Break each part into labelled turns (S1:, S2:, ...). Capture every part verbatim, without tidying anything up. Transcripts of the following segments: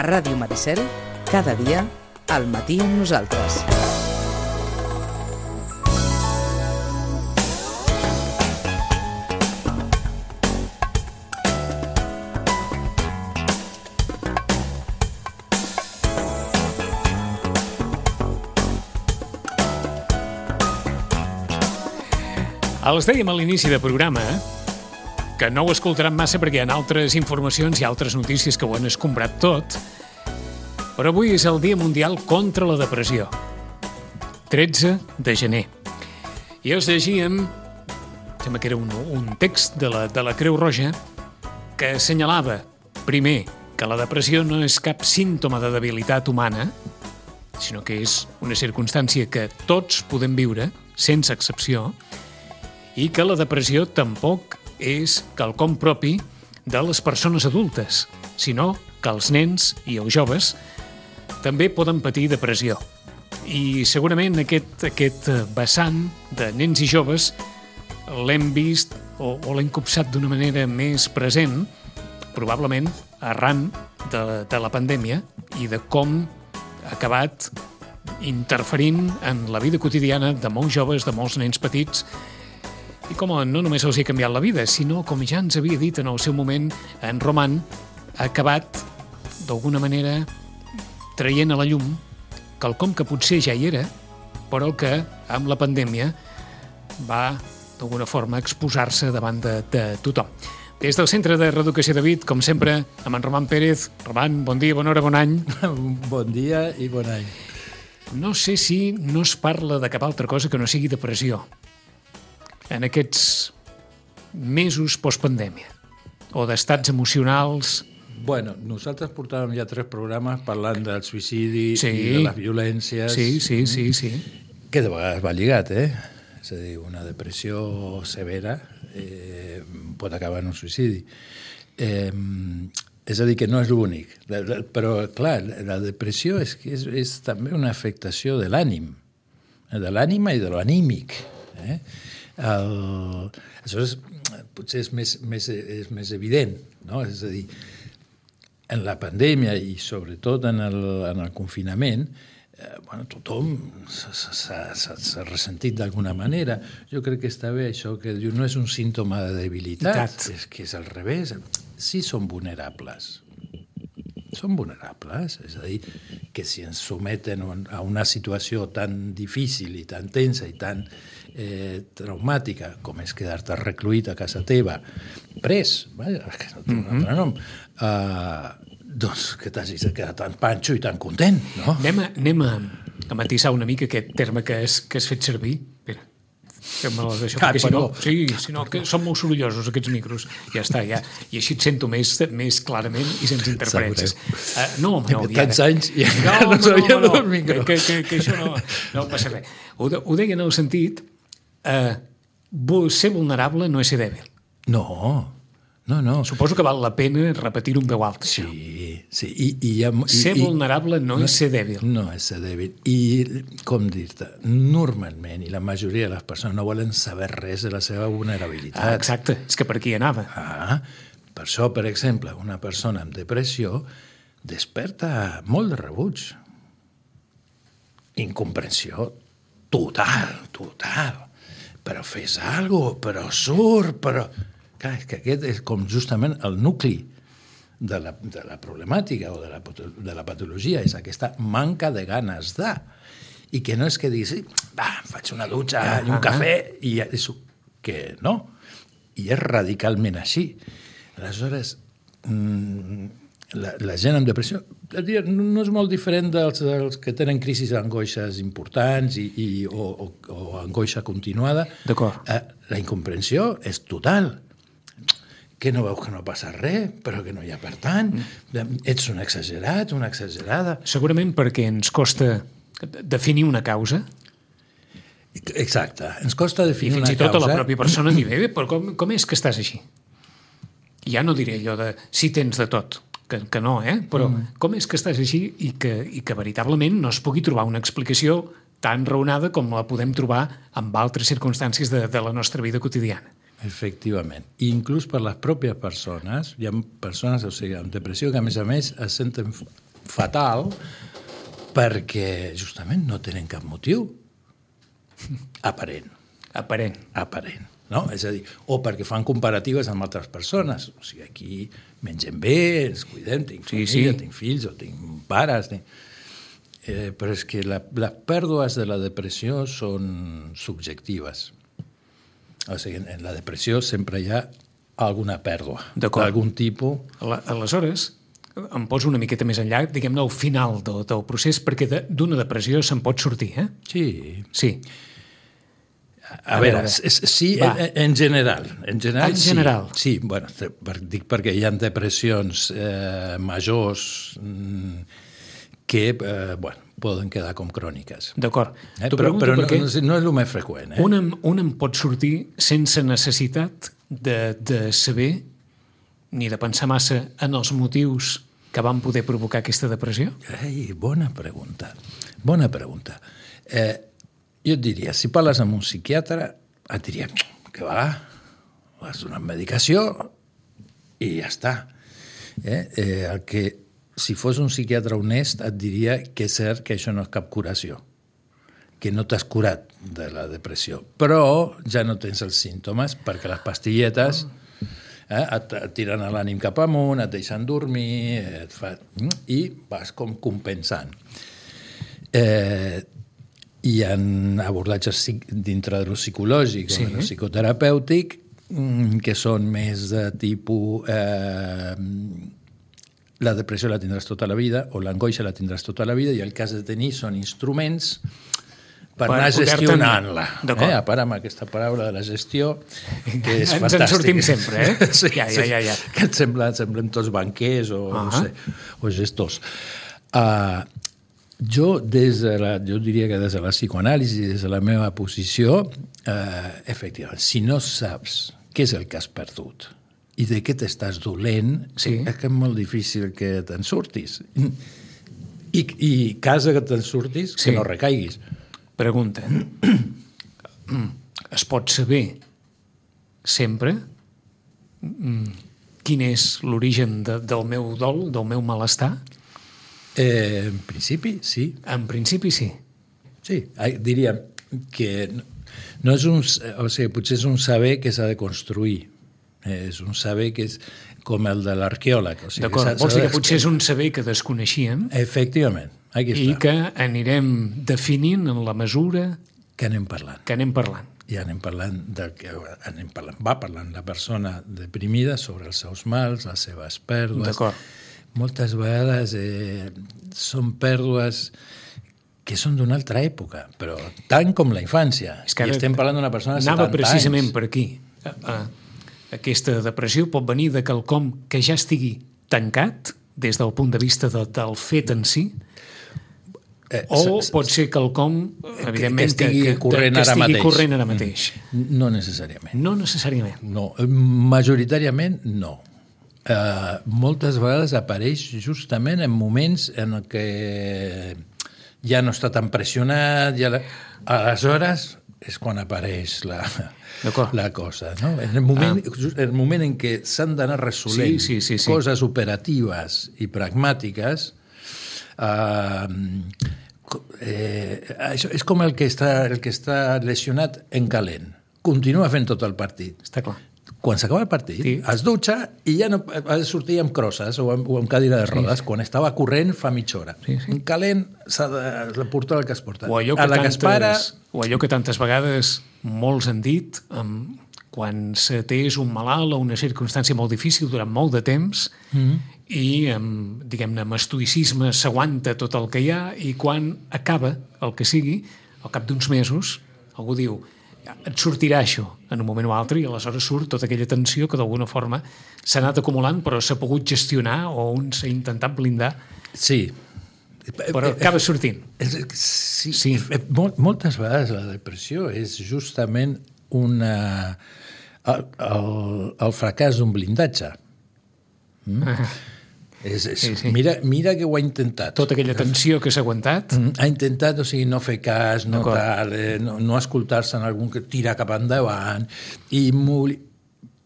S1: A Ràdio Maricel, cada dia, al matí amb nosaltres.
S2: Els dèiem a l'inici del programa que no ho escoltaran massa perquè hi ha altres informacions i altres notícies que ho han escombrat tot, però avui és el Dia Mundial contra la Depressió, tretze de gener. I els llegíem, sembla que era un, un text de la, de la Creu Roja que assenyalava, primer, que la depressió no és cap símptoma de debilitat humana, sinó que és una circumstància que tots podem viure, sense excepció, i que la depressió tampoc és quelcom propi de les persones adultes, sinó que els nens i els joves també poden patir depressió. I segurament aquest, aquest vessant de nens i joves l'hem vist o, o l'hem copsat d'una manera més present, probablement arran de, de la pandèmia i de com ha acabat interferint en la vida quotidiana de molts joves, de molts nens petits, i com no només els ha canviat la vida, sinó, com ja ens havia dit en el seu moment en Roman, ha acabat, d'alguna manera, traient a la llum quelcom que potser ja hi era, però que, amb la pandèmia, va, d'alguna forma, exposar-se davant de, de tothom. Des del Centre de Reeducació de Vic, com sempre, amb en Roman Pérez. Roman, bon dia, bona hora, bon any.
S3: Bon dia i bon any.
S2: No sé si no es parla de cap altra cosa que no sigui depressió en aquests mesos postpandèmia, o d'estats emocionals.
S3: Bueno, nosaltres portàvem ja tres programes parlant del suïcidi
S2: sí.
S3: i de les violències.
S2: Sí, sí, sí, sí.
S3: Que de vegades va lligat, eh? És a dir, una depressió severa eh, pot acabar en un suïcidi. Eh, és a dir, que no és l'únic. Però, clar, la depressió és, és, és també una afectació de l'ànim, de l'ànima i de l'anímic, eh? El... Això és, potser és més, més, és més evident, no? És a dir, en la pandèmia i sobretot en el, en el confinament, eh, bueno, tothom s'ha ressentit d'alguna manera. Jo crec que està bé això que diu, no és un símptoma de debilitat, és que és al revés. Sí són vulnerables. Són vulnerables, és a dir, que si ens someten a una situació tan difícil i tan tensa i tan eh, traumàtica com és quedar-te recluït a casa teva, pres, vaja, que no té un altre nom, uh, doncs que t'hagis de quedar tan panxo i tan content, no?
S2: Anem a, anem a, a matisar una mica aquest terme que has, que has fet servir. Espera, fem-me-la d'això,
S3: ah,
S2: perquè si no, sí, si no que són molt sorollosos aquests micros. Ja està, ja. I així et sento més, més clarament i sense interferències. Uh, no, home, no.
S3: Tants anys i
S2: no,
S3: no, no sabia no, no, del micro.
S2: Que, que, que això no, no passa res. Ho, de, ho deia en el sentit, uh, ser vulnerable no és ser dèbil.
S3: No, no, no.
S2: Suposo que val la pena repetir-ho en veu alta.
S3: Sí, sí. I, i ha, i,
S2: ser
S3: i,
S2: vulnerable no, no és ser dèbil.
S3: No és ser dèbil. I, com dir-te, normalment, i la majoria de les persones no volen saber res de la seva vulnerabilitat.
S2: Ah, exacte, és que per aquí anava.
S3: Ah, per això, per exemple, una persona amb depressió desperta molt de rebuig. Incomprensió total, total. Però fes alguna cosa, però surt, però... Clar, és que aquest és com justament el nucli de la, de la problemàtica o de la, de la patologia, és aquesta manca de ganes de. I que no és que diguis, va, faig una dutxa i un cafè, i és que no. I és radicalment així. Aleshores, la, la gent amb depressió no és molt diferent dels, dels que tenen crisis d'angoixes importants i, i, o, o, o angoixa continuada.
S2: D'acord.
S3: Eh, la incomprensió és total. Que no veus que no passa res, però que no hi ha per tant. Mm. Ets un exagerat, una exagerada.
S2: Segurament perquè ens costa definir una causa.
S3: Exacte, ens costa definir una causa.
S2: I fins i tot a la pròpia persona dir, bé, però com, com és que estàs així? Ja no diré allò de si tens de tot, que, que no, eh? Però mm. com és que estàs així i que, i que veritablement no es pugui trobar una explicació tan raonada com la podem trobar amb altres circumstàncies de, de la nostra vida quotidiana.
S3: Efectivament. I inclús per les pròpies persones, hi ha persones, o sigui, amb depressió que a més a més es senten fatal perquè justament no tenen cap motiu aparent.
S2: Aparent.
S3: Aparent. No? És a dir, o perquè fan comparatives amb altres persones. O sigui, aquí mengem bé, ens cuidem, tinc
S2: Sí,
S3: família,
S2: sí.
S3: tinc fills, o tinc pares... Tinc... Eh, però és que la, les pèrdues de la depressió són subjectives. O sigui, en la depressió sempre hi ha alguna pèrdua.
S2: D'acord.
S3: D'algun tipus.
S2: Ala- Aleshores, em poso una miqueta més enllà, diguem-ne, al final del, del procés, perquè de- d'una depressió se'n pot sortir, eh?
S3: Sí.
S2: Sí.
S3: A,
S2: A
S3: a veure,
S2: veure,
S3: és, sí,
S2: va.
S3: en, en general. En general,
S2: En general.
S3: Sí, sí bueno, per, dic perquè hi ha depressions eh, majors mm, que eh, bueno, poden quedar com cròniques.
S2: D'acord.
S3: Eh?
S2: T'ho
S3: Però,
S2: pregunto
S3: però no,
S2: perquè
S3: no, és- no és el més freqüent. Eh?
S2: un, em- un em pot sortir sense necessitat de, de saber ni de pensar massa en els motius que van poder provocar aquesta depressió?
S3: Ai, bona pregunta. Bona pregunta. Eh, jo et diria, si parles amb un psiquiatre, et diria que va, has donat medicació i ja està. Eh? Eh, el que, si fos un psiquiatre honest, et diria que és cert que això no és cap curació, que no t'has curat de la depressió, però ja no tens els símptomes perquè les pastilletes eh, et, et tiren l'ànim cap amunt, et deixen dormir, et fa... i vas com compensant. Eh, hi ha abordatges psic- dintre de lo psicològic
S2: Sí.
S3: o de lo psicoterapèutic mm, que són més de tipus eh, la depressió la tindràs tota la vida o l'angoixa la tindràs tota la vida i el que has de tenir són instruments per,
S2: Per
S3: anar
S2: poder-te'n-
S3: gestionant-la.
S2: D'acord.
S3: Eh? A part amb aquesta paraula de la gestió, que és
S2: Ens en
S3: fantàstica.
S2: sortim sempre, eh?
S3: Sí,
S2: Ja, ja, ja, ja.
S3: Que et sembla, semblem tots banquers o,
S2: Ah.
S3: no sé, o gestors. Uh, jo, des de la, jo diria que des de la psicoanàlisi, des de la meva posició, uh, efectivament, si no saps què és el que has perdut i de què t'estàs dolent,
S2: Sí.
S3: és que és molt difícil que te'n surtis. I, i casa que te'n surtis,
S2: Sí.
S3: que no recaiguis.
S2: Pregunta. Es pot saber sempre mm, quin és l'origen de, del meu dol, del meu malestar?
S3: Eh, en principi, sí.
S2: En principi sí.
S3: Sí, ai, diria que no, no és un... O sigui, potser és un saber que s'ha de construir. Eh, és un saber que és com el de l'arqueòleg. O sigui,
S2: D'acord,
S3: s'ha-
S2: vols
S3: s'ha
S2: dir
S3: de-
S2: que potser és un saber que desconeixíem
S3: Efectivament, aquí
S2: i
S3: està.
S2: que anirem definint en la mesura
S3: Que anem parlant.
S2: que anem parlant.
S3: I anem parlant del que anem parlant. Va parlant la persona deprimida sobre els seus mals, les seves pèrdues.
S2: D'acord.
S3: Moltes vegades eh, són pèrdues que són d'una altra època, però tant com la infància.
S2: És que
S3: I
S2: ara
S3: estem parlant d'una persona de
S2: Anava
S3: setanta
S2: precisament
S3: anys.
S2: per aquí. Eh, eh, Aquesta depressió pot venir de quelcom que ja estigui tancat des del punt de vista de, del fet en si,
S3: Eh,
S2: o
S3: s- s-
S2: pot ser quelcom, evidentment,
S3: que estigui
S2: que,
S3: corrent
S2: que
S3: ara
S2: estigui
S3: mateix.
S2: corrent ara mateix.
S3: No necessàriament.
S2: No necessàriament.
S3: No, majoritàriament no. Uh, moltes vegades apareix justament en moments en què ja no està tan pressionat, ja la... aleshores és quan apareix la,
S2: D'acord.
S3: la cosa. No? En, el moment, ah. en el moment en què s'han d'anar resolent
S2: Sí, sí, sí, sí.
S3: coses operatives i pragmàtiques, uh, eh, això és com el que, està, el que està lesionat en calent. Continua fent tot el partit.
S2: Està clar.
S3: Quan s'acaba el partit,
S2: Sí.
S3: sí. es dutxa i ja no ha de sortir amb crosses o amb, o amb cadira de rodes. Sí. Quan estava corrent fa mitja hora.
S2: Sí, sí.
S3: En calent s'ha de, de portar el que es porta.
S2: O allò
S3: a
S2: que,
S3: la que es para,
S2: tantes, o allò que tantes vegades molts han dit, um, quan se té és un malalt o una circumstància molt difícil durant molt de temps mm -hmm. i, um, diguem-ne, amb estoïcisme s'aguanta tot el que hi ha i quan acaba el que sigui, al cap d'uns mesos, algú diu et sortirà això en un moment o altre i aleshores surt tota aquella tensió que d'alguna forma s'ha anat acumulant però s'ha pogut gestionar o un s'ha intentat blindar,
S3: sí.
S2: però acaba sortint.
S3: Sí,
S2: Sí.
S3: sí. Mol, moltes vegades la depressió és justament una, el, el, el fracàs d'un blindatge. Mm?
S2: Ah.
S3: És, és,
S2: Sí, sí.
S3: Mira, mira que ho ha intentat.
S2: Tota aquella tensió que s'ha aguantat.
S3: Mm, ha intentat, o sigui, no fer cas, no,
S2: D'acord.
S3: tal, eh, no, no escoltar-se en algun que tira cap endavant, i molt...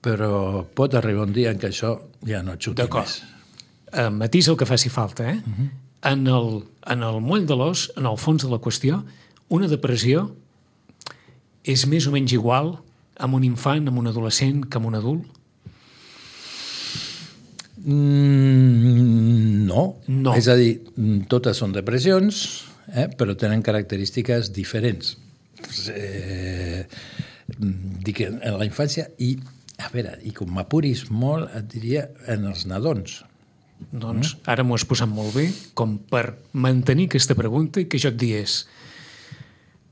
S3: però pot arribar un dia en què això ja no xuti
S2: D'acord.
S3: més.
S2: Eh, matís el que faci falta, eh? Uh -huh. en el, en el moll de l'os, en el fons de la qüestió, una depressió és més o menys igual amb un infant, amb un adolescent, que amb un adult?
S3: Mm, no.
S2: No.
S3: És a dir, totes són depressions, eh, però tenen característiques diferents. Eh, dic en la infància i, a veure, i com m'apuris molt, et diria en els nadons.
S2: Doncs ara m'ho has posat molt bé, com per mantenir aquesta pregunta i que jo et digués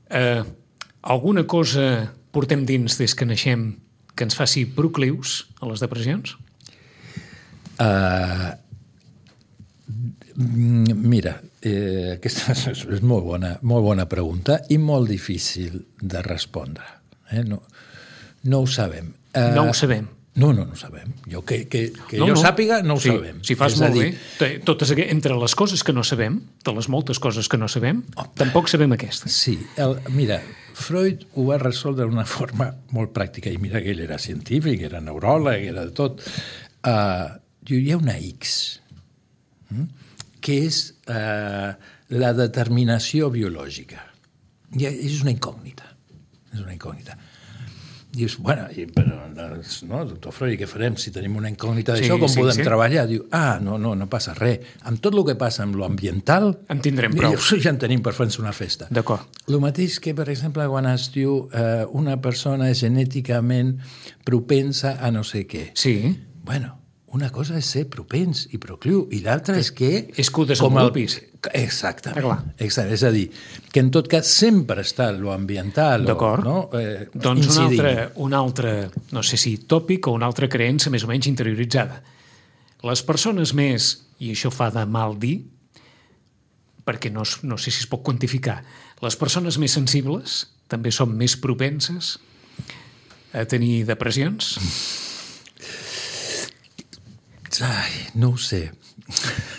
S2: eh, alguna cosa portem dins des que naixem que ens faci proclius a les depressions?
S3: Uh, mira, eh, aquesta és, és molt bona, molt bona pregunta i molt difícil de respondre. Eh? No, no ho sabem. Uh,
S2: no ho sabem.
S3: No, no, no ho sabem. Jo, que que, que
S2: no,
S3: jo
S2: no.
S3: sàpiga, no ho
S2: sí,
S3: sabem.
S2: Si fas
S3: és
S2: molt
S3: dir,
S2: bé, totes, entre les coses que no sabem, de les moltes coses que no sabem, oh, tampoc sabem aquesta.
S3: Sí, el, mira, Freud ho va resoldre d'una forma molt pràctica, i mira que ell era científic, era neuròleg, era de tot. Uh, hi ha una X, hm? que és uh, la determinació biològica. I és una incògnita. És una incògnita. Dius, bueno, i, però, no, doctor Freud, què farem si tenim una incògnita d'això? Sí, com sí, podem sí. treballar? Diu, ah, no, no, no passa res. Amb tot el que passa amb l'ambiental...
S2: En tindrem prou.
S3: Dius, ja en tenim per fer-nos una festa.
S2: D'acord.
S3: El mateix que, per exemple, quan es diu eh, una persona és genèticament propensa a no sé què.
S2: Sí.
S3: Bueno, una cosa és ser propens i procliu, i l'altra és que...
S2: És que ho desenvolupis.
S3: El... Exactament. Exacte. És a dir, que en tot cas sempre està l'ambiental.
S2: D'acord.
S3: No? Eh,
S2: doncs un altre, un altre, no sé si tòpic o una altra creença més o menys interioritzada. Les persones més, i això fa de mal dir, perquè no, no sé si es pot quantificar, les persones més sensibles també són més propenses a tenir depressions?
S3: Ai, no ho sé.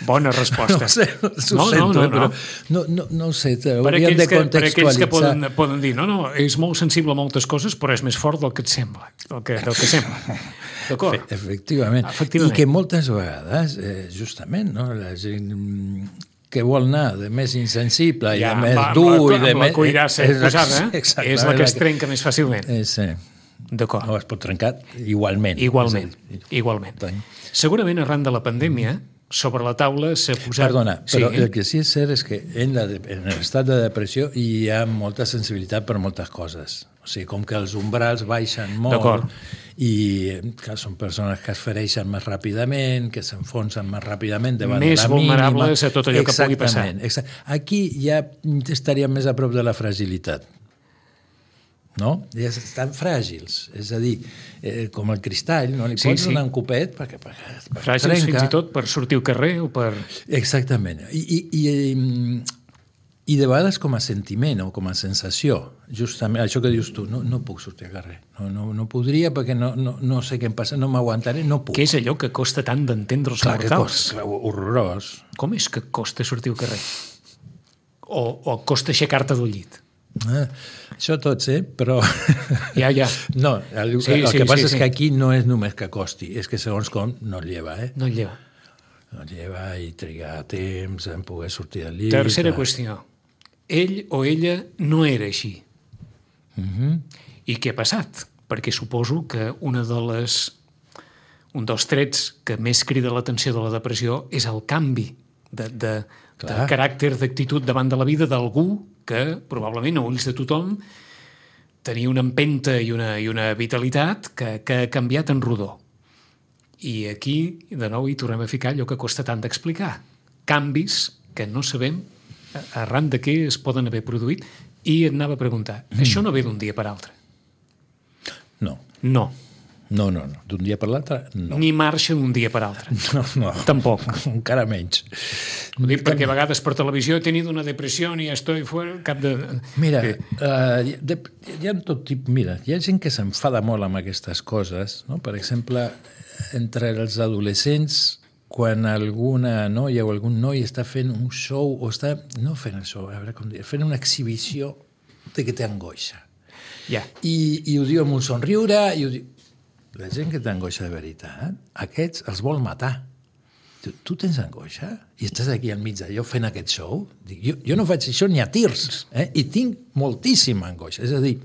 S2: Bona resposta.
S3: No ho sé, ho
S2: no,
S3: sento,
S2: no, no,
S3: però
S2: no.
S3: no, no, no ho sé,
S2: per
S3: hauríem de contextualitzar.
S2: Per aquells que poden, poden dir, no, no, és molt sensible a moltes coses, però és més fort del que et sembla, del que, del que sembla. D'acord?
S3: Efectivament.
S2: Efectivament.
S3: I que moltes vegades, eh, justament, no, la gent que vol anar de més insensible i ja, de més va, dur...
S2: Amb la,
S3: i de
S2: amb la cuirassa
S3: més...
S2: posada, eh? És la que es trenca més fàcilment.
S3: Eh, sí.
S2: D'acord.
S3: No, es pot trencar igualment.
S2: Igualment, igualment. Segurament, arran de la pandèmia, sobre la taula s'ha posat...
S3: Perdona, però
S2: sí.
S3: el que sí és cert és que en, la, en l'estat de depressió hi ha molta sensibilitat per moltes coses. O sigui, com que els umbrals baixen molt i que són persones que es fereixen més ràpidament, que s'enfonsen més ràpidament davant
S2: més
S3: de la mínima.
S2: Més vulnerables a tot allò que pugui passar.
S3: Exactament. Aquí ja estaríem més a prop de la fragilitat. No? Ja estan fràgils, és a dir, eh, com el cristall, no li sí, pots sí. donar un copet perquè, perquè, perquè
S2: fràgils
S3: trenca.
S2: Fins i tot per sortir al carrer o per...
S3: Exactament. I, i, i, i de vegades com a sentiment o com a sensació, justament, això que dius tu, no, no puc sortir al carrer, no, no, no podria perquè no, no, no sé què em passa, no m'aguantaré, no puc.
S2: Què és allò que costa tant d'entendre els
S3: clar,
S2: mortals?
S3: Clar, horrorós.
S2: Com és que costa sortir al carrer? O, o costa aixecar-te del llit?
S3: Ah, això tots, eh? Però...
S2: Ja, ja.
S3: No, el,
S2: sí,
S3: el
S2: sí,
S3: que passa
S2: sí,
S3: és
S2: sí.
S3: que aquí no és només que costi, és que segons com no el lleva, eh?
S2: No el lleva.
S3: No el lleva i trigar temps en poder sortir del llit.
S2: Tercera
S3: a...
S2: qüestió. Ell o ella no era així.
S3: Uh-huh. I
S2: què ha passat? Perquè suposo que una de les... un dels trets que més crida l'atenció de la depressió és el canvi de, de, de caràcter, d'actitud davant de la vida d'algú que probablement a ulls de tothom tenia una empenta i una, i una vitalitat que, que ha canviat en rodó. I aquí, de nou, hi tornem a ficar allò que costa tant d'explicar. Canvis que no sabem arran de què es poden haver produït. I et anava a preguntar, mm. això no ve d'un dia per altre?
S3: No.
S2: No.
S3: No, no, no. D'un dia per l'altre, no.
S2: Ni marxa d'un dia per altre.
S3: No, no.
S2: Tampoc.
S3: Encara menys.
S2: Ho dic perquè a vegades per televisió he tenido una depressió i estoy fuera, cap de...
S3: Mira, uh, de, hi ha tot tipus... Mira, hi ha gent que s'enfada molt amb aquestes coses, no? Per exemple, entre els adolescents, quan alguna noia o algun noi està fent un show, o està... No fent el show, a veure com dir, fent una exhibició de que té angoixa.
S2: Ja.
S3: I, i ho diu amb un somriure, i ho diu... La gent que té angoixa de veritat, aquests els vol matar. tu, tu tens angoixa? I estàs aquí al mig d'allò fent aquest show? Dic, jo, jo no faig això ni a tirs, eh? I tinc moltíssima angoixa. És a dir,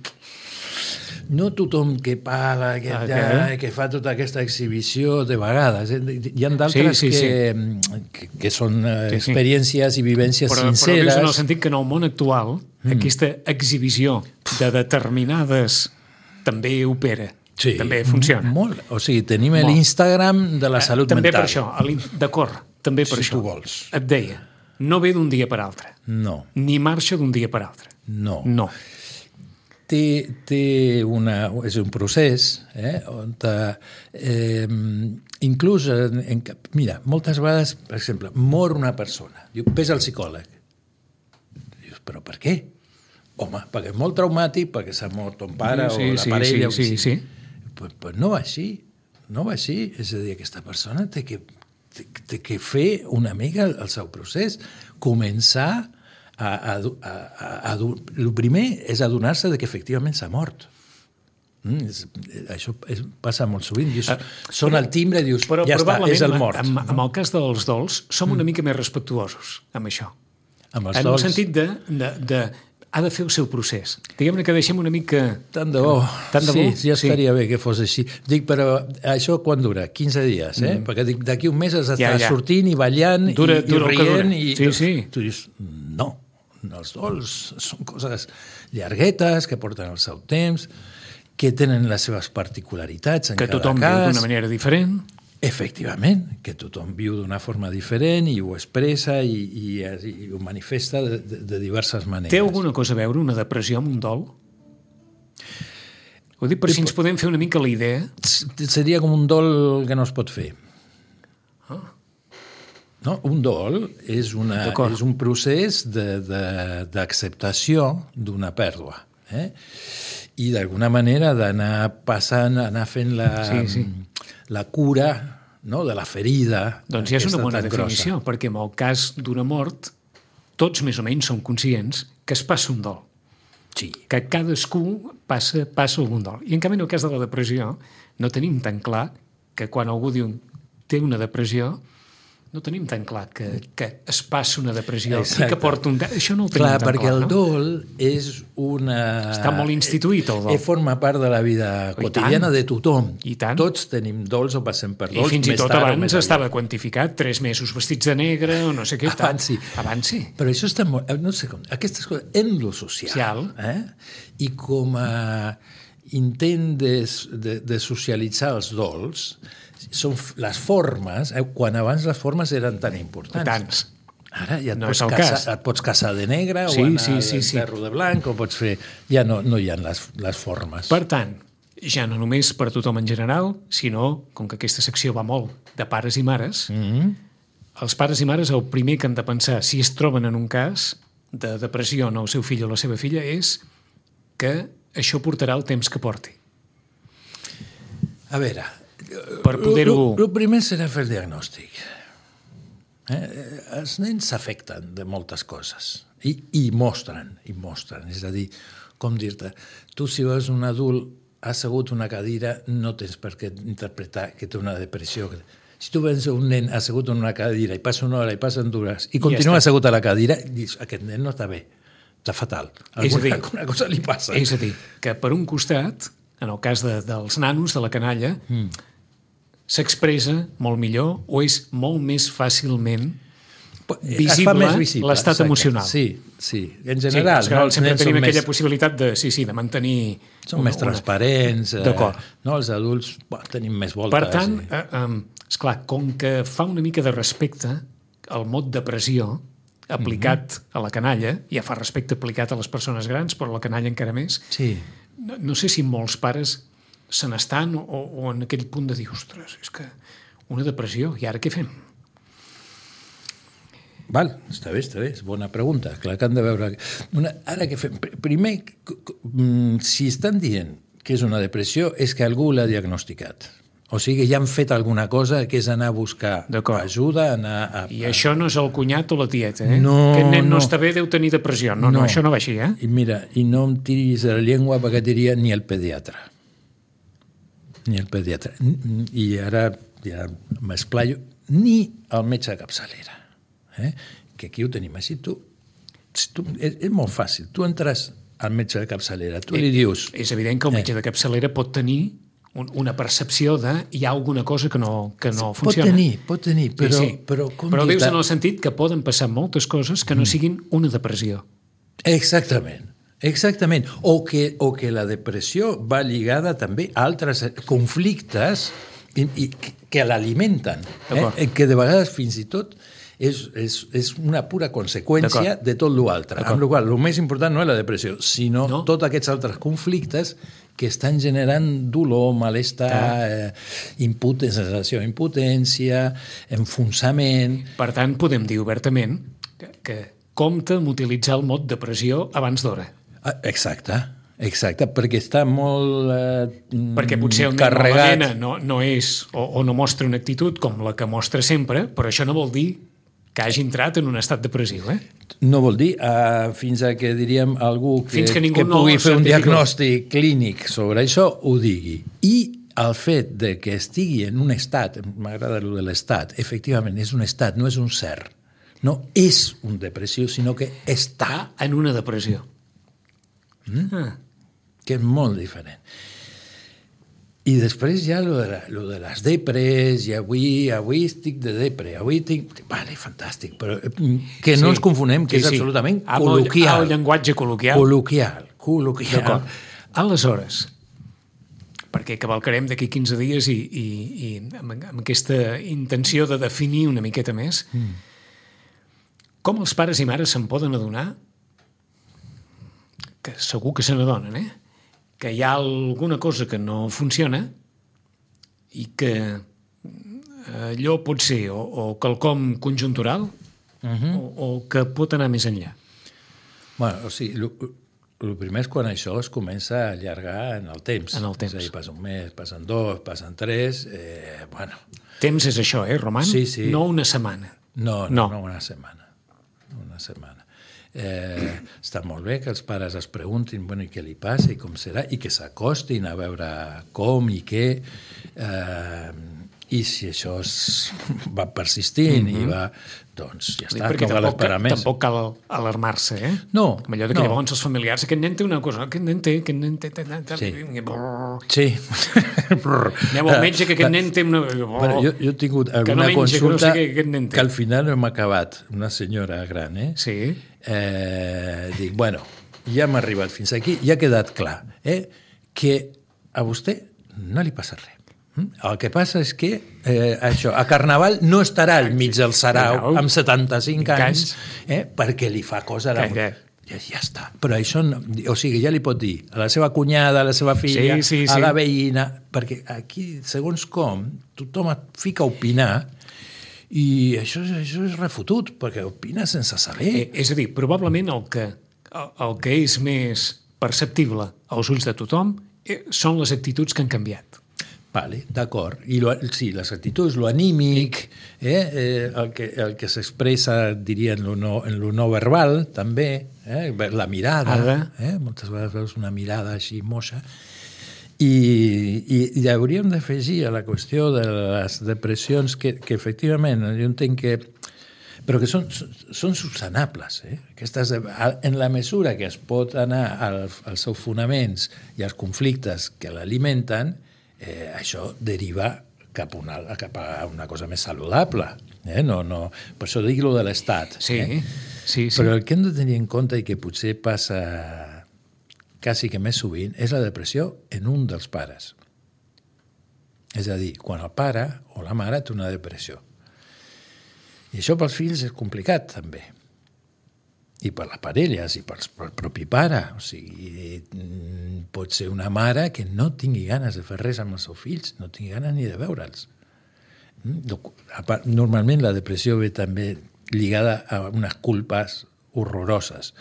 S3: no tothom que parla, que,
S2: Ah,
S3: ja, que fa tota aquesta exhibició de vegades. Eh? Hi ha d'altres
S2: Sí, sí,
S3: que, que, que són eh,
S2: Sí, sí.
S3: experiències i vivències
S2: Però, però
S3: sinceres.
S2: dius en el sentit que en el món actual mm. aquesta exhibició de determinades també opera,
S3: Sí,
S2: també funciona.
S3: Molt. O sigui, tenim
S2: Molt.
S3: l'Instagram de la salut
S2: també
S3: mental.
S2: per això, a l'in- d'acord, també per
S3: Si
S2: això.
S3: tu vols.
S2: Et deia, no ve d'un dia per altre,
S3: No,
S2: ni marxa d'un dia per altre.
S3: no.
S2: No.
S3: Té, té una, és un procés eh, on eh, inclús en, en, mira, moltes vegades, per exemple, mor una persona, diu, ves al psicòleg. Dius, però per què? Home, perquè és molt traumàtic, perquè s'ha mort ton pare
S2: Sí,
S3: o la
S2: sí,
S3: parella.
S2: sí,
S3: o
S2: sí,
S3: sigui.
S2: sí.
S3: Pues, pues no va així, no va així. És a dir, aquesta persona té que, té, té que fer una mica el, el seu procés, començar a... a, a, a, a el primer és adonar-se de que efectivament s'ha mort. Mm, és, això és, passa molt sovint. Dius, són al timbre i dius,
S2: Però
S3: ja està, és el mort.
S2: En, en el cas dels dols, som una mica més respectuosos amb això.
S3: Amb els
S2: En el
S3: dols,
S2: sentit de, de, de ha de fer el seu procés. Diguem-ne que deixem una mica...
S3: tant de bo.
S2: Tant de
S3: sí,
S2: bo?
S3: ja
S2: Sí.
S3: estaria bé que fos així. Dic, però això quan dura? quinze dies, eh? Mm. Perquè dic, d'aquí un mes has d'estar
S2: Ja, ja.
S3: sortint i ballant
S2: Dura-
S3: i,
S2: dura el
S3: i
S2: que
S3: rient.
S2: dura.
S3: I,
S2: Sí, sí.
S3: Tu dius, no, els dols són coses llarguetes, que porten el seu temps, que tenen les seves particularitats en
S2: que
S3: cada
S2: tothom viu
S3: cas.
S2: d'una manera diferent.
S3: Efectivament, que tothom viu d'una forma diferent i ho expressa i, i, i ho manifesta de, de, de diverses maneres.
S2: Té alguna cosa a veure una depressió amb un dol? Ho dic per si ens podem fer una mica la idea.
S3: Seria com un dol que no es pot fer.
S2: Ah.
S3: No? Un dol és, una,
S2: D'acord.
S3: és un procés de- de- d'acceptació d'una pèrdua. Eh? I d'alguna manera d'anar passant, anar fent la,
S2: Sí, sí.
S3: la cura, no? De la ferida.
S2: Doncs ja és una
S3: aquesta
S2: bona
S3: tan
S2: definició,
S3: grossa.
S2: perquè en el cas d'una mort, tots més o menys som conscients que es passa un dol,
S3: Sí.
S2: que cadascú passa, passa algun dol. I en canvi, en el cas de la depressió, no tenim tan clar que quan algú diu té una depressió, no tenim tan clar que, que es passa una depressió
S3: Exacte.
S2: i que porta un... Això no ho tenim
S3: Clar,
S2: tan
S3: perquè
S2: clar,
S3: el
S2: no?
S3: dol és una...
S2: Està molt instituït, el dol.
S3: Eh, forma part de la vida
S2: I
S3: quotidiana
S2: tant.
S3: de tothom.
S2: I tant.
S3: Tots tenim dols o passem per
S2: I
S3: dols.
S2: fins i
S3: més
S2: tot
S3: tard o
S2: abans
S3: més aviat.
S2: estava quantificat, tres mesos vestits de negre o no sé què. tal.
S3: Abans sí.
S2: Abans sí.
S3: Però això està molt... No sé com... Aquestes coses, en lo social,
S2: Social.
S3: eh? I com a intent de, de, de socialitzar els dols, són f- les formes, eh? Quan abans les formes eren tan importants.
S2: Tants.
S3: Ara ja et,
S2: No
S3: pots
S2: és el
S3: casar,
S2: cas.
S3: et pots casar de negre
S2: Sí,
S3: o anar
S2: sí, sí,
S3: de
S2: sí.
S3: ferro de blanc o pots fer... Ja no, no hi ha les, les formes.
S2: Per tant, ja no només per tothom en general, sinó, com que aquesta secció va molt de pares i mares,
S3: Mm -hmm.
S2: els pares i mares el primer que han de pensar si es troben en un cas de depressió en el seu fill o la seva filla és que això portarà el temps que porti.
S3: A veure...
S2: Per poder-ho...
S3: El primer serà fer el diagnòstic. Eh? Els nens s'afecten de moltes coses i, i mostren, i mostren. És a dir, com dir-te, tu si veus un adult assegut a una cadira no tens per què interpretar que té una depressió. Si tu veus un nen assegut en una cadira i passa una hora i passen dues i continua
S2: està.
S3: assegut a la cadira, dius, aquest nen no està bé, està fatal.
S2: És a
S3: Alguna,
S2: dir,
S3: alguna cosa li passa.
S2: És a dir, que per un costat, en el cas de, dels nanos, de la canalla, mm. s'expressa molt millor o és molt més fàcilment visible l'estat
S3: exacte.
S2: emocional.
S3: Sí, sí. En general,
S2: sí,
S3: no, els
S2: sempre
S3: nens
S2: tenim
S3: són
S2: aquella
S3: més,
S2: possibilitat de, sí, sí, de mantenir...
S3: són més transparents. Eh,
S2: D'acord.
S3: no, els adults bueno, tenim més voltes.
S2: Per tant,
S3: i...
S2: eh, eh, esclar, com que fa una mica de respecte al mot depressió aplicat mm-hmm. a la canalla, ja fa respecte aplicat a les persones grans, però a la canalla encara més,
S3: Sí.
S2: no, no sé si molts pares se n'estan o, o en aquell punt de dir, ostres, és que una depressió, i ara què fem?
S3: Val, està bé, està bé, és bona pregunta. Clar que han de veure... Una, ara que fem... Primer, si estan dient que és una depressió, és que algú l'ha diagnosticat. O sigui, ja han fet alguna cosa que és anar a buscar ajuda, anar a...
S2: I això no és el cunyat o la tieta, eh?
S3: No,
S2: Aquest nen no,
S3: no
S2: està bé, deu tenir depressió. No, no, no, això no va així, eh?
S3: I mira, i no em tiris de la llengua perquè diria ni el pediatre. Ni el pediatre. I ara ja m'esplaio. ni al metge de capçalera. Eh? Que aquí ho tenim així. Tu, tu, és, és molt fàcil. Tu entres al metge de capçalera, tu li dius...
S2: És evident que el metge de capçalera pot tenir una percepció de hi ha alguna cosa que no, que no funciona.
S3: Pot tenir, pot tenir, però...
S2: Sí, sí.
S3: Però,
S2: però dius en el sentit que poden passar moltes coses que no siguin una depressió.
S3: Exactament. Exactament. O que, o que la depressió va lligada també a altres conflictes i, i, que l'alimenten. Eh? Que de vegades fins i tot és, és, és una pura conseqüència de tot l'altre. Amb la qual cosa, el més important no és la depressió, sinó no? tots aquests altres conflictes que estan generant dolor, malestar, eh, impotència, sensació d'impotència, enfonsament...
S2: Per tant, podem dir obertament que, que compta amb utilitzar el mot depressió abans d'hora.
S3: Exacte, exacte, perquè està molt eh,
S2: perquè potser el nen o la nena no, no és o, o no mostra una actitud com la que mostra sempre, però això no vol dir que hagi entrat en un estat depressiu, eh?
S3: No vol dir, uh, fins a que diríem algú que,
S2: que,
S3: que
S2: no
S3: pugui fer un diagnòstic clínic sobre això, ho digui. I el fet de que estigui en un estat, m'agrada el de l'estat, efectivament és un estat, no és un ser. No és un depressió, sinó que està
S2: en una depressió.
S3: Mm? Ah. Que és molt diferent. I després ja lo de, la, lo de les depres, i avui, avui estic de depre, avui tinc... Vale, fantàstic, però que no sí, ens confonem, que sí, és sí. absolutament
S2: amb
S3: col·loquial.
S2: El, el llenguatge col·loquial.
S3: Col·loquial, col·loquial.
S2: Aleshores, perquè cavalcarem d'aquí quinze dies i, i, i amb, amb aquesta intenció de definir una miqueta més, mm. com els pares i mares se'n poden adonar, que segur que se n'adonen, eh? que hi ha alguna cosa que no funciona i que allò pot ser o, o quelcom conjuntural uh-huh. o, o que pot anar més enllà.
S3: Bueno, o sigui, el primer és quan això es comença a allargar en el temps.
S2: En el temps.
S3: És a dir, passa un mes, passen dos, passen tres... Eh, bueno.
S2: Temps és això, eh, Roman?
S3: Sí, sí.
S2: No una setmana.
S3: No, no, no, no una setmana. Una setmana. Eh, està molt bé que els pares es preguntin bueno, i què li passa i com serà i que s'acostin a veure com i què eh, i si això es va persistint mm-hmm. i va, doncs ja està,
S2: perquè
S3: no cal esperar més.
S2: Tampoc cal alarmar-se, eh?
S3: No.
S2: Com allò de que
S3: no.
S2: llavors els familiars, aquest nen té una cosa, aquest nen té, aquest nen té...
S3: Sí. Sí.
S2: Aneu al metge que aquest nen té una...
S3: Bueno, jo, jo he tingut alguna
S2: no menja,
S3: consulta
S2: que, no sé que,
S3: que al final hem acabat, una senyora gran, eh?
S2: Sí.
S3: Eh, dic, bueno, ja hem arribat fins aquí, ja ha quedat clar eh, que a vostè no li passa res. El que passa és que eh, això, a Carnaval no estarà al mig del sarau amb setanta-cinc anys eh, perquè li fa cosa a la... Ja, ja està. Però això, no, o sigui, ja li pot dir a la seva cunyada, a la seva filla, sí, sí, sí. a la veïna, perquè aquí, segons com, tothom et fica a opinar i això, això és refotut, perquè opina sense saber.
S2: Eh, és a dir, probablement el que, el, el que és més perceptible als ulls de tothom eh, són les actituds que han canviat.
S3: Vale, d'acord. I lo, sí, les actituds, lo anímic, eh, eh, el que, el que s'expressa, diria, en lo, no, en lo no verbal, també, eh, la mirada, eh, moltes vegades veus una mirada així moixa, i, i, i hauríem d'afegir a la qüestió de les depressions que, que efectivament, jo entenc que però que són, són subsanables. Eh? Aquestes, en la mesura que es pot anar al, als seus fonaments i als conflictes que l'alimenten, Eh, això deriva cap, una, cap a una cosa més saludable. Eh? No, no, per això dic lo de l'estat.
S2: Sí,
S3: eh?
S2: sí, sí.
S3: Però el que hem de tenir en compte i que potser passa quasi que més sovint és la depressió en un dels pares. És a dir, quan el pare o la mare té una depressió. I això pels fills és complicat, també. I per les parelles, i per el propi pare. O sigui, pot ser una mare que no tingui ganes de fer res amb els seus fills, no tingui ganes ni de veure'ls. Normalment la depressió ve també lligada a unes culpes horroroses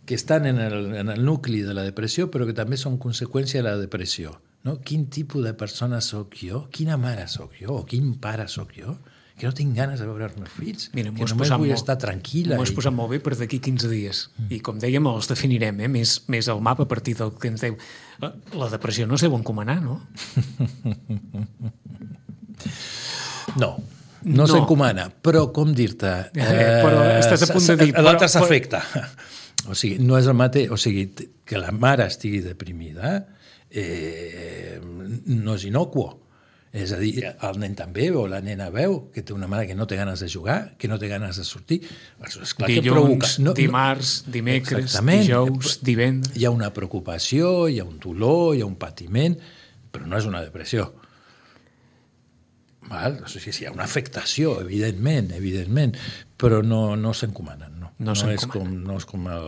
S3: que estan en el, en el nucli de la depressió, però que també són conseqüència de la depressió. No? Quin tipus de persona sóc jo? Quina mare sóc jo? O quin pare sóc jo? Que no tinc ganes de veure els meus fills, Mira, que només vull molt, estar tranquil·la.
S2: M'ho has i... posat molt bé per d'aquí quinze dies. Mm. I com dèiem, els definirem, eh? més, més el mapa a partir del que ens deu. La depressió no es deu encomanar, no?
S3: No, no, no. s'encomana, però com dir-te...
S2: Eh, però estàs a punt de dir...
S3: L'altre s'afecta. O sigui, no és el mateix... O sigui, que la mare estigui deprimida eh, no és inocuo. És a dir, el nen també o la nena veu que té una mare que no té ganes de jugar, que no té ganes de sortir. Esclar,
S2: dilluns, no, dimarts, dimecres, dijous, divendres...
S3: Hi ha una preocupació, hi ha un dolor, hi ha un patiment, però no és una depressió. Val? O sigui, hi ha una afectació, evidentment, evidentment, però no, no s'encomanen. No,
S2: no,
S3: no, és com, no és com, el,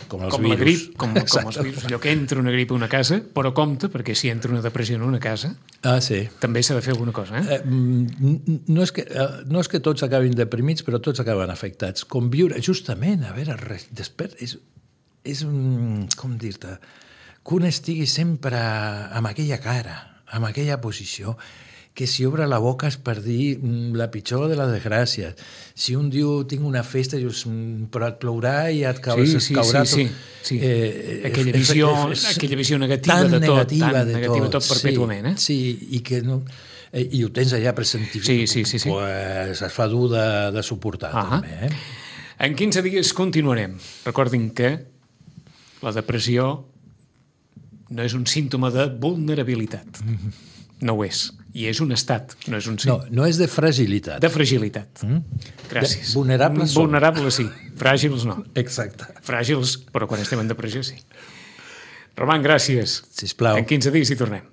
S3: com els
S2: com
S3: virus.
S2: La grip, com, com els virus. Allò que entra una grip a una casa, però compte, perquè si entra una depressió en una casa,
S3: ah, sí.
S2: també s'ha de fer alguna cosa. Eh?
S3: Eh, no, és que, no és que tots acabin deprimits, però tots acaben afectats. Conviure, justament, a veure, despert, és, és un, com dir-te, que un estigui sempre amb aquella cara, amb aquella posició, que si obre la boca és per dir la pitjor de les desgràcies. Si un diu, tinc una festa, dius, però et plourà i et caurà,
S2: sí, sí,
S3: caurà
S2: sí,
S3: tot.
S2: Sí, sí. Eh, aquella, visió, és, és, aquella visió negativa de tot,
S3: negativa
S2: tan
S3: de
S2: negativa
S3: tot,
S2: tot perpètuament. Eh?
S3: Sí, sí, i que no... Eh, i ho tens allà pressentit.
S2: Sí, sí, sí, sí.
S3: Pues es fa dur de, de suportar, uh-huh. també. Eh?
S2: En quinze dies continuarem. Recordin que la depressió no és un símptoma de vulnerabilitat. Mm-hmm. No ho és. I és un estat, no és un sí.
S3: No, no és de fragilitat.
S2: De fragilitat. Mm? Gràcies.
S3: De vulnerables som.
S2: Vulnerables sí, fràgils no.
S3: Exacte.
S2: Fràgils, però quan estem en depressió sí. Roman, gràcies.
S3: Sisplau.
S2: En quinze dies hi tornem.